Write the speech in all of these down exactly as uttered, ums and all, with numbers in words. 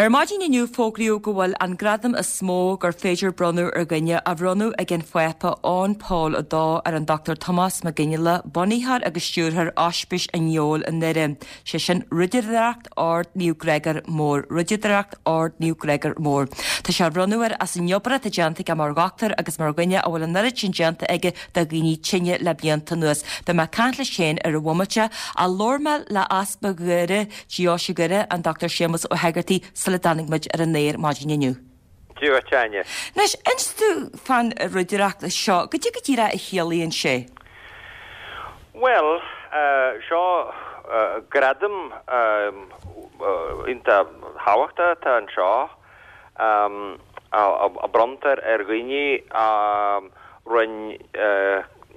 Ar maidin inniu fógraíodh go bhfuil an gradam is mó gur féidir bronnadh ar dhuine á bhronnadh ag an Phápa Eoin Pól a dó ar an Dochtúir Tomás Mac Fhionnghaile, bunaitheoir agus stiúrthóir Ospís an Fheabhail i nDoire, sé sin Ridireacht Ord Naomh Gregor Mór, Ridireacht Ord Naomh Gregor Mór. Tá sé á bhronnadh air as an obair atá déanta aige mar dhochtúir agus mar dhuine a bhfuil an oiread sin déanta aige do dhaoine tinne le blianta anuas. Beidh mé ag caint leis féin ar an bhomaite ach labhair mé le Easpag Dhoire, Deoise Dhoire, an Dochtúir Séamus Ó hEigeartaigh, sula dtáinig muid ar an aer maidin inniu. Dia dhuit, Áine. Anois, inis domh fán ridireacht seo, goidé go díreach a chiallaíonn sé? Bhuel, seo gradam iontach tábhachtach atá anseo a bronntar ar dhaoine a rinne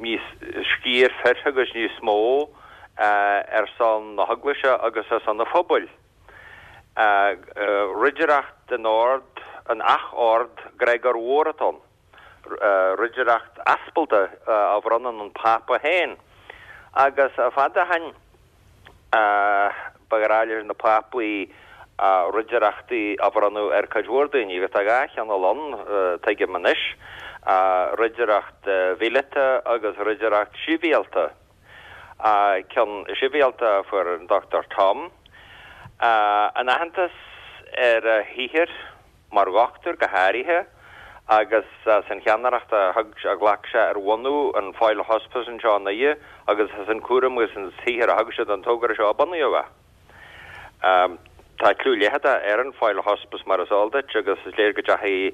níos sciar fir agus níos mó ar son na hEaglaise agus ar son an phobail. Ridireacht den ord, an ach-ord Gregor Mhór atá ann. Ridireacht aspalda a bhronnann an Pápa féin. Agus fada ó shin ba ghnách leis na Pápaí ridireachtaí a bhronnadh ar cuid mhór daoine, agus tá dhá chineál ann, tuigim anois, ridireacht mhíleata agus ridireacht sibhialta. Ceann sibhialta a fuair an Dochtúir Tom. In aitheantas ar a shaothar mar dhochtúir go háirithe agus as an cheannaireacht a thug a ghlac sé ar bhunú an Foyle Hospice anseo i nDoire agus as an cúram agus an saothar a thug sé don togra seo a bunaíodh é. Tá clú leitheadach ar an Foyle Hospice mar is eol duit agus is léir go dteachaigh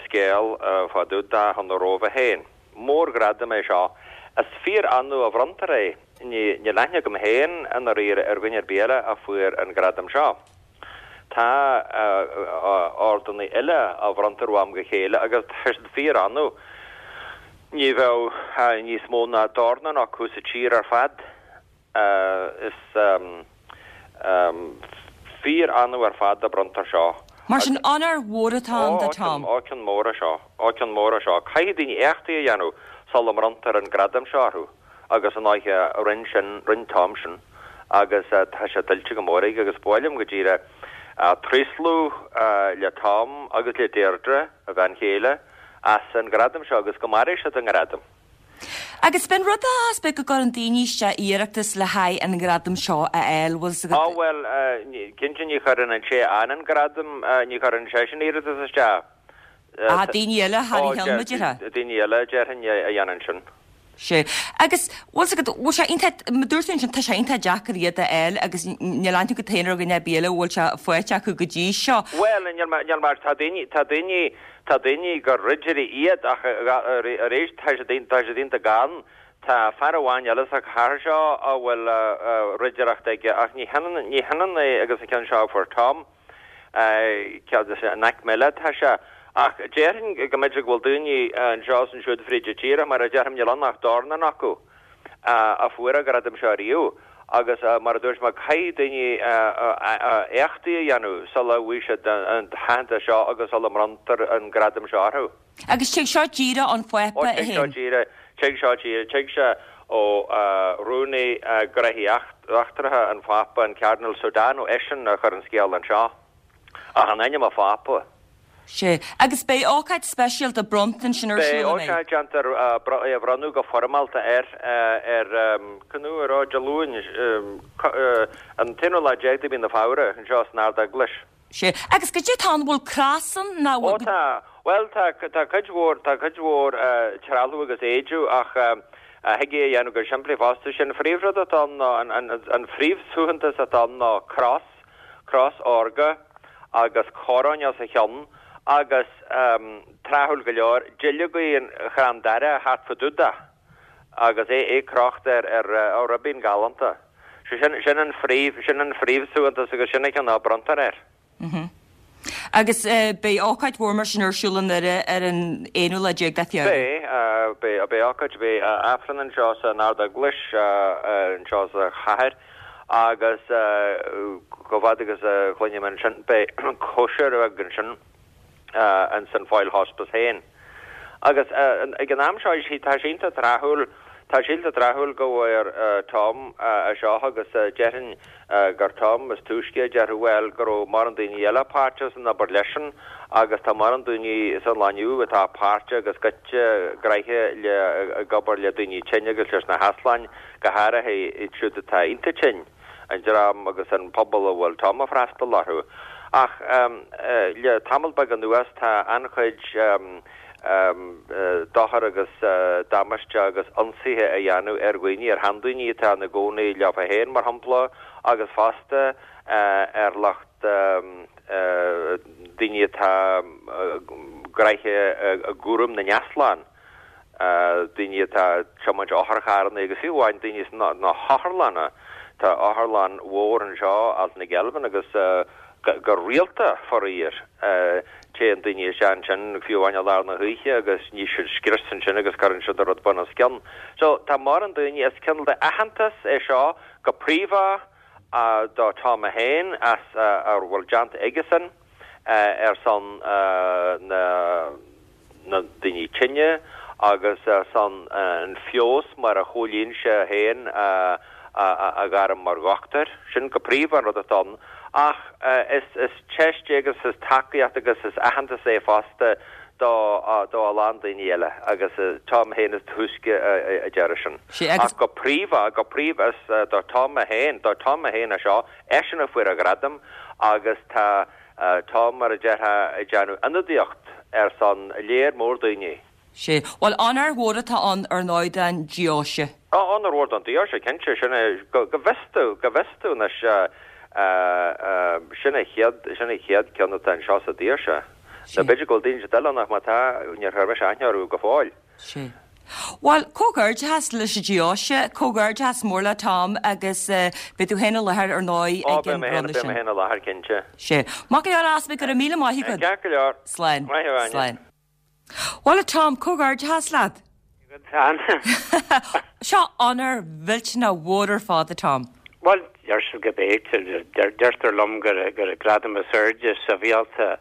scéal fá dtaobh de chun na Róimhe féin. Mórghradam é seo. Is fíor-annamh a bhronntar é. Níl aithne agam féin i ndáiríre ar dhuine ar bith eile a fuair an gradam seo. Tá ordanna eile a bhronntar ó am go chéile agus tá siad fíor-annamh. Ní bheadh níos mó ná dornán acu sa tír ar fad. Is fíor-annamh ar fad a bronntar seo. Mar sin onóir mhór atá ann do Tom. Ó, ceann mór é seo. Ó, ceann mór é seo. Caithfidh daoine éachtaí a dhéanamh sula mbronntar an gradam seo orthu agus an oíche rinne sin, rinne Tom sin agus tá sé tuillte go mór aige agus ba mhaith liom go díreach tréaslú le Tom agus le Deirdre, a bhean chéile, as an gradam seo agus go mairfidh siad a ngradam. Agus b'in rud a is beag go gcuireann daoine isteach iarratas le haghaidh an ghradam seo a fháil, bhfuil 's agat? Á bhuel, cinnte ní chuireann an té a fhaigheann an gradam, ní chuireann seisean iarratas isteach. Ah, daoine eile thar a cheann, mar a déarfá? Daoine eile, déarfainn, a dhéanann sin. Sea. Agus, bhfuil 's agat, bhfuil sé iontach, mar dúirt tú ansin, tá sé iontach deacair iad a fháil agus níl aithne agat féin ar dhuine ar bith eile a bhfuil sé faighte acu go dtí seo. Bhuel, níl mé, níl mé, tá daoine, tá daoine, Tá daoine gur ridirí iad ach arís tá siad tá siad iontach gann. Tá fear amháin eile sa chathair seo a bhfuil ridireacht aige ach ní hionann ní hionann é agus an ceann seo a fuair Tom. In aicme eile atá sé. Ach déarfainn go mb'fhéidir go bhfuil daoine anseo is ansiúd fríd an tír ach mar a deirim níl ann ach dornán acu. a fuair an gradam seo riamh agus mar a dúirt mé caithfidh daoine éachtaí a dhéanamh sula bhfaighidh siad an t-aitheantas seo agus sula mbronntar an gradam seo orthu. Agus tig seo díreach ón Phápa é Ó tig seo díreach, tig seo díreach, tig sé ó Rúnaí Gnóthaí Eachtracha an Phápa, an Cardinal Sodano, eisean a chuir an scéal anseo. Ach in ainm an Phápa. Sea. Agus beidh ócáid speisialta bronnta ansin ar Beidh siúl, an mbeidh? ócáid, déantar é a bhronnadh go foirmeálta air ar, cén uair, ó, Dé Luain, an t-aonú lá déag de mhí na Feabhra, anseo san Ard-Eaglais. Sea. Agus goidé atá ann, bhfuil cros ann nó Ó tá, bhuel tá, tá cuid mhór, tá cuid mhór trealamh agus éide ach thig é a dhéanamh go simplí fosta. Sé an phríomhrud atá ann ná, an phríomhshuaitheantas atá ann ná cros, cros órga agus coróin os a chionn agus, tráthúil go leor, duilleogaí an chrann daire thart fá dtaobh de agus é é crochta ar ar ribín galánta. Sé sin sin an phríomh sin an phríomhshuaitheantas agus sin an ceann a bronntar air. Agus beidh ócáid mhór mar sin ar siúl i nDoire ar an aonú lá déag de Feabhra. Beidh, beidh, beidh ócáid, beidh Aifreann anseo san Ard-Eaglais anseo sa chathair agus chomh fada agus a chluinim ansin beidh cóisir bheag ansin ins an Foyle Hospice féin. Agus ag an am seo tá sé iontach tráthúil, Tá sé iontach tráthúil go bhfuair Tom é seo agus déarfainn gur Tom is túisce a déarfadh bhuel go raibh mórán daoine eile páirteach san obair leisean agus tá mórán daoine san lá inniu atá páirteach agus goite gnoitheach le ag obair le daoine tinne agus leis na heasláin, go háirithe iad siúd atá iontach tinn, an dream agus an pobal a bhfuil Tom ag freastal orthu. Ach le tamall beag anuas tá an-chuid dochar agus damáiste agus ionsaithe á dhéanamh ar dhaoine, ar sheandaoine atá ina gcónaí leofa féin, mar shampla, agus fosta ar lucht daoine atá gnoitheach i gcúram na n-easlán, daoine atá ag tiomáint otharcharranna agus fiú amháin daoine sna hotharlanna. Tá otharlann mhór anseo, Altnagelvin, agus go rialta, faraor, téann daoine isteach ansin, fiú amháin i lár na hoíche, agus ní siad scrios ansin agus cuireann siad an rud bun os cionn. So, tá mórán daoine, is cineál de aitheantas é seo go príomha do Tom é féin as a bhfuil déanta aigesan ar son na na daoine tinne agus ar son an feabhas mar a chomhlíon sé féin a a ghairm mar dhochtúir. Sin go príomha an rud atá ann. Ach is is teist é agus is tacaíocht agus is aitheantas é fosta do do a lán daoine eile agus Tom féin is túisce a deir sin. Ach go príomha, go príomha is do Tom é féin, do Tom é féin é seo, eisean a fuair an gradam agus tá Tom mar a déarfá ag déanamh ionadaíocht ar son léar mór daoine. Sea. Bhuel, onóir mhór atá ann ar ndóigh don deoise. Á, onóir mhór don deoise, cinnte. Sin é, go bhfios domh, go bhfios domh anois, sin é chéad, sin é chéad ceann atá anseo sa deoise. Nó b'fhéidir go bhfuil daoine eile ann ach má tá, níor chuir mise aithne orthu go fóill. Sea. Bhuel, comhghairdeachas leis an deoise, comhghairdeachas mór le Tom agus beidh tú féin i láthair ar ndóigh ag an bronnadh sin. Ó, beidh mé féin, beidh mé féin i láthair, cinnte. Sea. Maith go leor, a Easpaig, go raibh míle maith agat. Ceart go leor. Slán. Maith thú, Áine. Slán. Bhuel a Tom, comhghairdeachas leat. Agat Seo onóir mhillteanach mhór ar fad a Tom. Bhuel, deir siad go b'fhéidir, deirtear liom gur gur gradam is airde sibhialta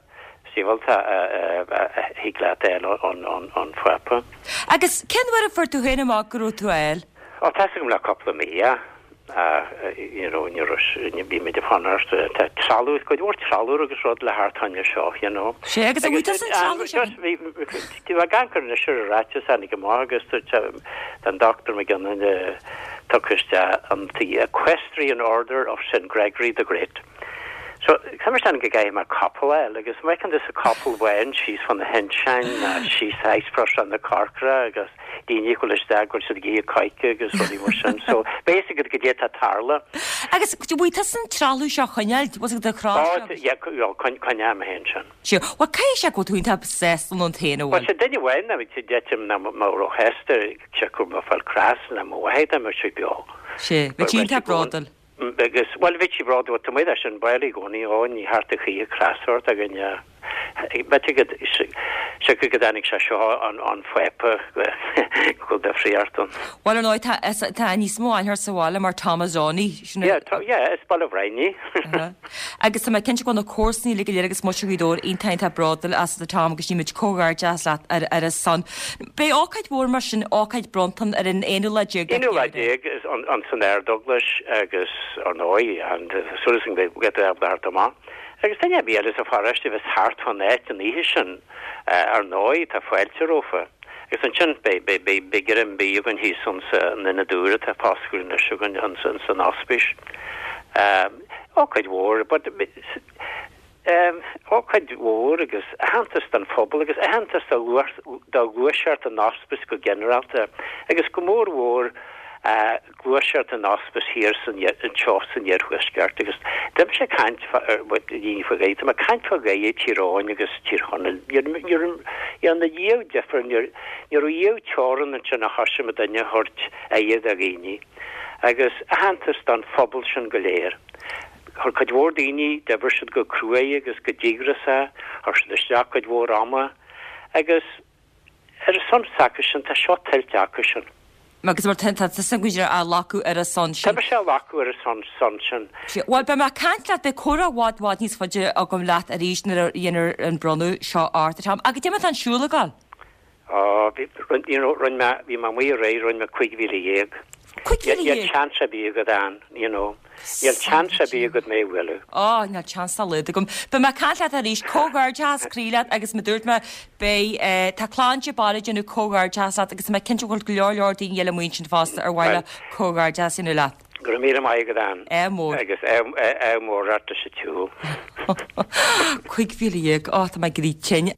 sibhialta a thig leat a fháil ón ón Phápa. Agus cén uair a fuair tú féin amach go raibh tú á fháil? Ó, tá's agam le cúpla mí, yeah. You know, ní raibh, bhí muid ag fanacht, tá trealamh, cuid mhór trealamh agus rud le theacht chugainn anseo, you know. Sea, agus an bhfuil tusa an trealamh sin? Bhí, bhí gan cur anois ar a ráiteas tháinig amach agus tá an Dochtúir Mac Gionnain tugtha isteach an the Equestrian Order of Saint Gregory the Great. So, tá mé go gcaithfidh mé capall a fháil agus má fheiceann tusa capall amháin síos fá na hinseáin ná síos Ice na Corcra agus daoine ag dul isteach go bhfuil siad ag ithe coice agus rudaí mar sin. So, basic go dtí tá tarla. Agus bhfuil tusa an trealamh seo a choinneáil, bhfuil do chrá seo? Yeah, coinneáil mé féin sin. Sea, bhuel caithfidh sé go bhfuil tú iontach sásta ionat féin a bhfuil. Bhuel, duine amháin ná deitim ná má róshásta sé go mbeadh fáil cras ná mo mhaith dá mbeadh sé beo. Sea, bheadh sí iontach bródúil. Agus, bhuel, bhí sí bródúil, tá muid leis an baile i gcónaí, ó, ní thart a choíche cras ort againn, b'fhéidir go, siocair go dtáinig sé seo an, an Phápa go bhfuil difríocht ann. Bhuel, ar ndóigh, tá, tá níos mó aithne ort sa bhaile mar Tomazoni, sin Yeah, tá, yeah, is Baile Bhréanainn. Agus tá mé cinnte go bhfuil na comharsana uilig go léir agus muintir Ghaoth Dobhair iontach iontach bródúil asat a Tom agus nímid comhghairdeas leat ar, ar a son. Beidh ócáid mhór mar sin, ócáid bronnta ar an aonú lá déag de Aonú lá Feabhra. déag an, an san Ardeaglais agus ar ndóigh, and súil is go mbeidh go mbeidh thart amach. Agus duine ar bith eile sa pharóiste a bheas thart fán áit an oíche sin, ar ndóigh, tá fáilte rompu. Agus ansin beidh, beidh, beidh, beidh greim bídh againn thíos ins an ionad úr atá foscailte anois againn ins, ins an ospís. Ócáid mhór, but ócáid mhór agus aitheantas don phobal agus aitheantas do do ghluaiseacht an ospís go ginearálta agus go mór mhór gluaiseacht an ospís thiar san anseo san iarthuaisceart agus tá mise ag caint daoine faoi Ghaeilge, tá mé ag caint fá Ghaeilge Tír Eoghain agus Tír Chonaill. Níor dhearna riamh difear, níor ní raibh riamh teorann ansin a thosaigh muid duine a thabhairt aire do dhaoine agus aitheantas don phobal sin go léir. Chuir cuid mhór daoine, d'oibir siad go cruaidh agus go díograiseach, chuir siad isteach cuid mhór ama agus ar a son s'acusan, tá seo tuillte acusan. Agus mar tá tusa go á ghlacadh ar a son sin. Tá mise á ghlacadh ar a son son sin. Bhuel, beidh mé ag caint leat, beidh comhrá i bhfad bhfad níos faide agam leat arís nuair a dhéanfar an bronnadh seo ort, a Tom. Agus cad é mar atá an siúl ag dul? Ó, bhí, you know, rinne mé, bhí mé amuigh aréir, rinne mé cúig mhíle dhéag. Cúig mhíle Níl dhéag? seans ar bith agat ann, you know. Níl seans ar bith agat mé a bhualadh. Ó, níl seans dá laghad agam. Beidh mé ag caint leat arís, comhghairdeas croí leat agus mar dúirt mé, beidh, eh, tá clann de Barra ag déanamh comhghairdeas leat agus tá mé cinnte go bhfuil go leor leor daoine eile amuigh ansin fosta ar mhaith leo comhghairdeas a dhéanamh leat. Go raibh míle maith agat Ann. Ádh mór. Agus ádh mór ort sa tsiúl. Cúig mhíle dhéag, ó, tá mé ag éirí tinn.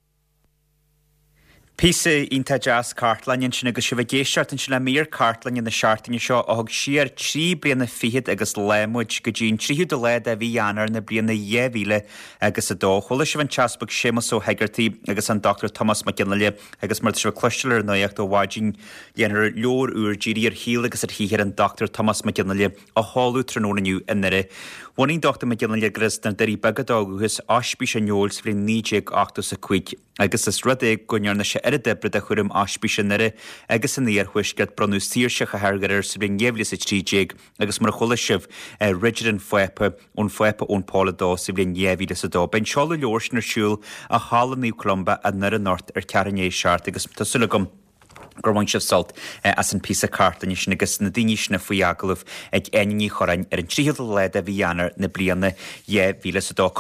Píosa iontach deas cartlainne ansin agus sibh ag éisteacht ansin le mír cartlainne na seachtaine seo a thug siar trí bliana fichead agus lá muid go dtí an tríú de lá de mhí Eanáir na bliana dhá mhíle agus a dó. Chuala sibh an tEaspag Séamus Ó hEigeartaigh agus an Dochtúir Tomás Mac Fhionnghaile agus mar sibh cloisteáil ar an nuacht ó mhaidin déanfar leabhar úr dírithe ar shaol agus ar shaothar an Dochtúir Tomás Mac Fhionnghaile a sheoladh tráthnóna inniu i nDoire. Bhunaigh Dochtúir Mac Fhionnghaile gur as na Doirí Beaga dó dhúchas Ospís an Fheoil sa bhliain naoi déag ochtó is a cúig. Agus as rud é go ndearna sé oiread oibre do chúram Ospís i nDoire agus san iarthuaisceart bronnadh saoirse chathair Dhoire air sa bhliain dhá mhíle is a trí déag agus mar a chuala sibh Ridire an Phápa ón Phápa Eoin Pól a dó sa bhliain dhá mhíle is a dó. Beidh an seoladh leabhair sin ar siúl i Halla Naomh Columba i nDoire anocht ar ceathrú i ndiaidh a seacht agus tá súil agam gur bhain sibh sult as an píosa cartlainne sin agus na daoine sin faoi agallamh ag Áine Ní Churráin ar an tríochadú lá de mhí Eanáir na bliana dhá mhíle is a dó.